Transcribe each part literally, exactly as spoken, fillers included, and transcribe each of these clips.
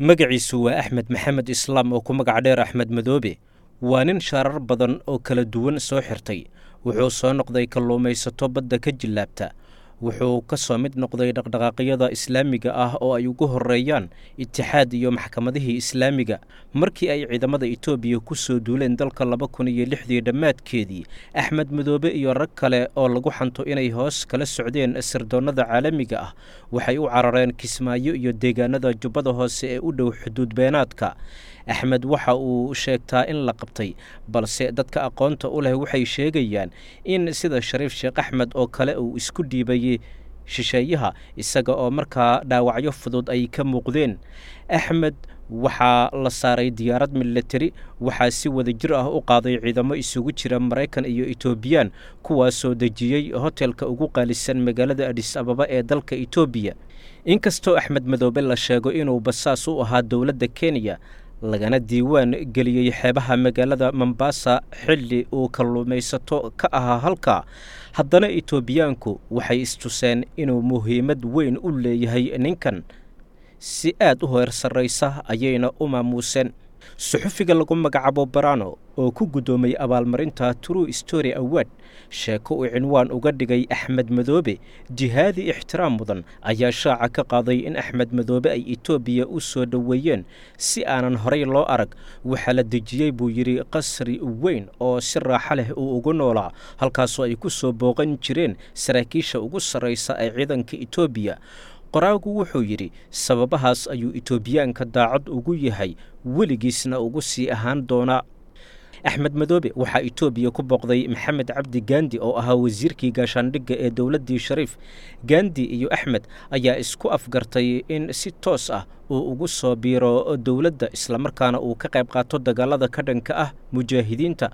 Magaciisu waa Axmed Maxamed Islaam oo ku magac dheer Axmed Madoobe. Waa nin shaarar badan oo kala duwan soo xirtay. Wuxuu soo noqday kalluumaysato badda ka jillaabta. Wuxuu ka soo mid noqday dhaqdhaqaaqyada islaamiga ah oo ay ugu horreeyaan Itixaad iyo maxkamadihii islaamiga. Markii ay ciidamada Itoobiya ku soo duuleen dalka laba kun iyo lixdii dhammaadkeedii, Axmed Madoobe iyo rag kale oo lagu xanto inay hoos kala socdeen sirdoonnada caalamiga ah waxay u carareen Kismaayo iyo deegaanada Jubbada Hoose ee u dhow xuduud beenaadka. Axmed waxa uu sheegtaa in la qabtay, balse dadka aqoonta u leh waxay sheegayaan in sida Shariif Sheekh Axmed oo kale uu isku dhiibayey shisheeyaha, isaga oo markaa dhaawacyo fudud ay ka muuqdeen. Axmed waxaa la saaray diyaarad milatari, waxaa si wada jir ah u qaaday ciidamo isugu jira Maraykan iyo Etoobiyaan, kuwaasoo dejiyey hotelka ugu qaalisan magaalada Adis Ababa ee dalka Itoobiya. Inkastoo Axmed Madoobe la sheego inuu basaas u ahaa dowladda Kenya, lagana diiwaan geliyey xeebaha magaalada Mombasa xilli uu kalluumaysato ka ahaa halkaa, haddana Itoobiyaanku waxay istuseen inuu muhiimad weyn u leeyahay ninkan, si aad u heer sarraysa ayayna u maamuuseen. Suxufiga lagu magacaabo Barano oo ku guddoomay abaalmarinta True Story Award sheeko uu cinwaan uga dhigay Axmed Madoobe jihaadi ixtiraam mudan ayaa shaaca ka qaaday in Axmed Madoobe ay Itoobiya u soo dhoweeyeen si aanan horey loo arag. Waxaa la dejiyey, buu yidhi, qasri weyn oo si raaxo leh uu ugu noolaa, halkaasoo ay ku soo booqan jireen saraakiisha ugu sarraysa ee ciidanka Itoobiya. Qoraagu wuxuu yidhi sababahaas ayuu Itoobiyaanka daacad ugu yahay, weligiisna ugu sii ahaan doonaa. Axmed Madoobe waxaa Itoobiya ku booqday Maxamed Cabdi Gandi oo ahaa wasiirkii gaashaandhigga ee dowladdii Shariif. Gandi iyo Axmed ayaa isku afgartay in si toos ah uu ugu soo biiro dowladda, islamarkaana uu ka qayb qaato dagaalada ka dhanka ah mujaahidiinta.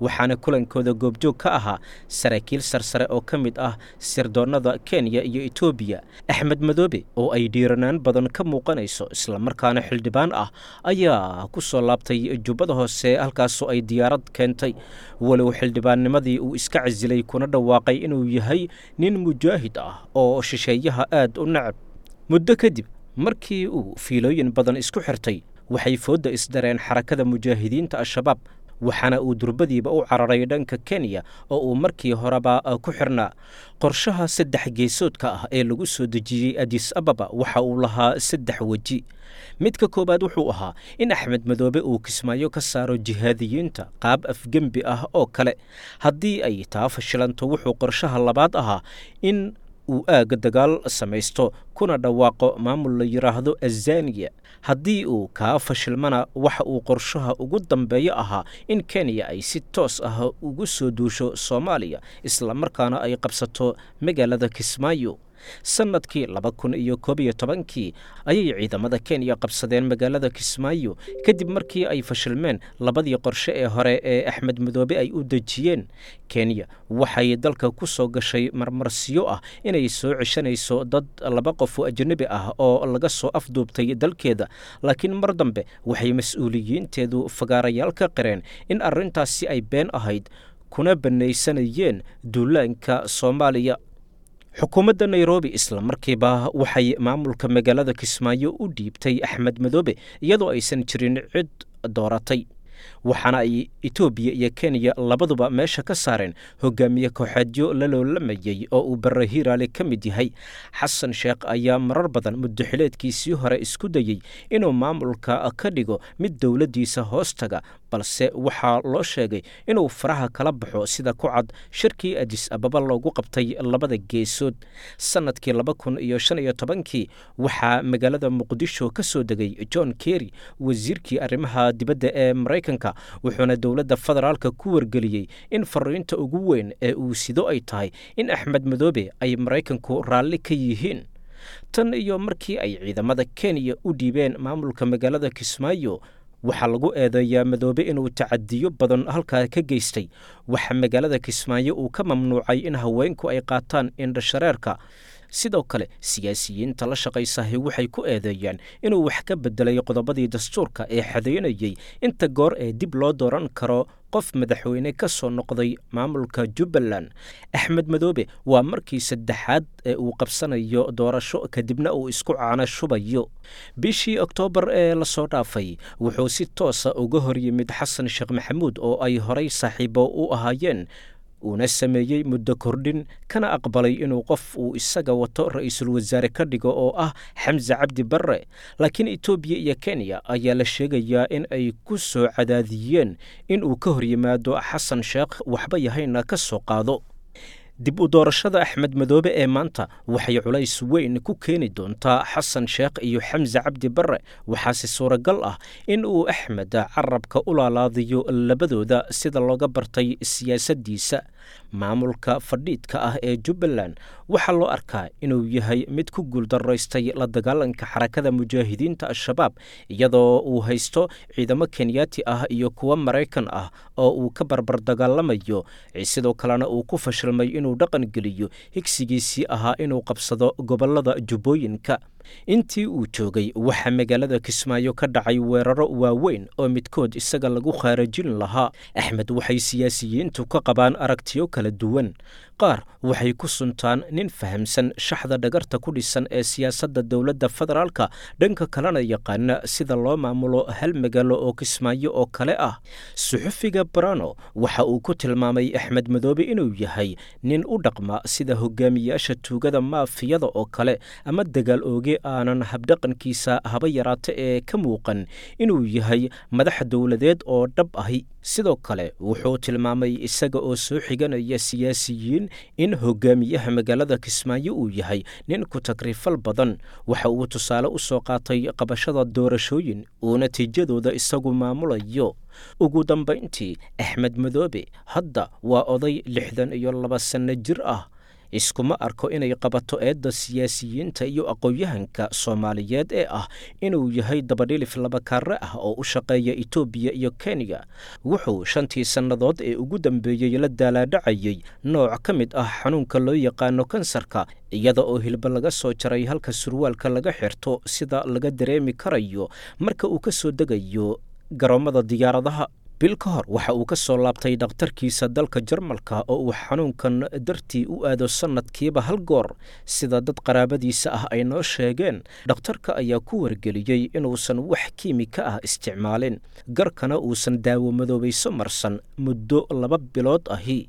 Waxaana kulankooda goobjoog ka ahaa saraakiil sarsare oo ka mid ah sirdoonnada Kenya iyo Itoobiya. Axmed Madoobe oo ay dhiiranaan badan ka muuqanayso islamarkaana xildhibaan ah ayaa ku soo laabtay Jubbada Hoose, halkaasoo ay diyaarad keentay, walow xildhibaannimadii uu iska casilay kuna dhawaaqay inuu yahay nin mujaahid ah oo shisheeyaha aad u necab. Muddo kadib markii uu fiilooyin badan isku xirtay, waxay foodda isdareen Xarakada Mujaahidiinta Al-Shabaab, waxaana uu durbadiiba u cararay dhanka Kenya oo uu markii horeba ku xirnaa. Qorshaha saddex geesoodka ah ee lagu soo dejiyey Adis Ababa waxa uu lahaa saddex weji. Midka koowaad wuxuu ahaa in Axmed Madoobe uu Kismaayo ka saaro jihaadiyiinta qaab afgembi ah oo kale. Haddii ay taa fashilanto, wuxuu qorshaha labaad ahaa in uu aag dagaal samaysto kuna dhawaaqo maamul la yidhaahdo Azaniya. Haddii uu kaa fashilmana, waxa uu qorshaha ugu dambeeyo ahaa in Kenya ay si toos ah ugu soo duusho Soomaaliya, islamarkaana ay qabsato magaalada Kismaayo. Sannadkii laba kun iyo koob iyo tobankii ayay ciidamada Kenya qabsadeen magaalada Kismaayo, kadib markii ay fashilmeen labadii qorshe ee hore ee Axmed Madoobe ay u dejiyeen. Kenya waxay dalka ku soo gashay marmarsiyo ah inay soo ceshanayso dad laba qof oo ajnabi ah oo laga soo afduubtay dalkeeda, laakiin mar dambe waxay mas-uuliyiinteedu fagaarayaal ka qireen in arrintaasi ay been ahayd kuna bannaysanayeen duulaanka Soomaaliya. Xukuumadda Nairobi isla markiiba waxay maamulka magaalada Kismaayo u dhiibtay Axmed Madoobe iyadoo aysan jirin cid dooratay, waxaana ay Itoobiya iyo Kenya labaduba meesha ka saareen hogaamiye kooxeedyo la loolamayey oo uu Barre Hiiraale ka mid yahay. Xasan Sheekh ayaa marar badan muddaxileedkiisii hore isku dayey inuu maamulka ka dhigo mid dowladdiisa hoos taga, balse waxaa loo sheegay inuu faraha kala baxo, sida ku cad shirkii Adis Ababa loogu qabtay labada geesood. Sannadkii laba kun iyo shan iyo tobankii waxaa magaalada Muqdisho ka soo degay John Kerry, wasiirkii arrimaha dibadda ee Maraykanka, wuxuuna dowladda federaalka ku wargeliyey in fariinta ugu weyn ee uu sido ay tahay in Axmed Madoobe ay Maraykanku raalli ka yihiin. Tan iyo markii ay ciidamada Kenya u dhiibeen maamulka magaalada Kismaayo, waxaa lagu eedeeyaa Madoobe inuu tacadiyo badan halkaa ka geystay. Waxaa magaalada Kismaayo uu ka mamnuucay in haweenku ay qaataan indhashareerka. Sidoo kale siyaasiyiinta la shaqaysahi waxay ku eedeeyaan inuu wax ka beddelay qodobadii dastuurka ee xadeynayey inta goor ee dib loo dooran karo qof madaxweyne ka soo noqday maamulka Jubbaland. Axmed Madoobe waa markii saddexaad ee uu qabsanayo doorasho kadibna uu isku caana shubayo. Bishii Oktoobar ee lasoo dhaafay wuxuu si toosa uga hor yimid Xasan Sheekh Maxamuud oo ay horay saaxiibo u ahaayeen, uuna sameeyey muddo kordhin, kana aqbalay inuu qof uu isaga wato ra'iisul wasaare ka dhigo oo ah Xamse Cabdi Barre. Laakiin Itoobiya iyo Kenya ayaa la sheegayaa in ay ku soo cadaadiyeen in uu ka hor yimaado Xasan Sheekh, waxba yahayna ka soo qaado. Dib u doorashada Axmed Madoobe ee maanta waxay culays weyn ku keeni doontaa Xasan Sheekh iyo Xamse Cabdi Barre. Waxaase suuragal ah in uu Axmed carabka u laalaadiyo labadooda sida looga bartay siyaasaddiisa. Maamulka fadhiidka ah ee Jubbaland waxaa loo arkaa inuu yahay mid ku guuldaraystay la dagaalanka Xarakada Mujaahidiinta Al-Shabaab, iyadoo uu haysto ciidamo Kenyaati ah iyo kuwo Maraykan ah oo uu ka barbar dagaalamayo. Sidoo kalena uu ku fashilmay inuu dhaqan geliyo higsigiisii ahaa inuu qabsado gobollada Jubbooyinka. Intii uu joogay waxaa magaalada Kismaayo ka dhacay weeraro waaweyn oo midkood isaga lagu khaarajin lahaa. Axmed waxay siyaasiyiintu ka qabaan aragtiyo kala duwan. Qaar waxay ku suntaan nin fahamsan shaxda dhagarta ku dhisan ee siyaasadda dowladda federaalka, dhanka kalena yaqaana sida loo maamulo hal magaalo oo Kismaayo oo kale ah. Suxufiga Brano waxa uu ku tilmaamay Axmed Madoobe inuu yahay nin u dhaqma sida hogaamiyaasha tuugada maafiyada oo kale, ama dagaal ooge aanan habdhaqankiisa haba yaraata ee ka muuqan inuu yahay madax dowladeed oo dhab ahi. Sidoo kale wuxuu tilmaamay, isaga oo soo xiganaya siyaasiyiin, in hogaamiyaha magaalada Kismaayo uu yahay nin ku takrifal badan. Waxa uu tusaale u soo qaatay qabashada doorashooyin uu natiijadooda isagu maamulayo. Ugu dambayntii, Axmed Madoobe hadda waa oday lixdan iyo laba sanno jir ah. Iskuma arko inay qabato eedda siyaasiyiinta iyo aqoon-yahanka Soomaaliyeed ee ah inuu yahay dabadhilif labakaare ah oo u shaqeeya Itoobiya iyo Kenya. Wuxuu shantii sannadood ee ugu dambeeyey la daalaadhacayey nooc ka mid ah xanuunka loo yaqaano kansarka, iyada oo hilba laga soo jaray halka surwaalka laga xirto, sida laga dareemi karayo marka uu ka soo degayo garoomada diyaaradaha. Bil ka hor waxa uu ka soo laabtay dhakhtarkiisa dalka Jarmalka oo uu xanuunkan dartii u aado sannadkiiba hal goor. Sida dad qaraabadiisa ah ay noo sheegeen, dhakhtarka ayaa ku wargeliyey inuusan wax kiimika ah isticmaalin, garkana uusan daawo madoobayso marsan muddo laba bilood ahi.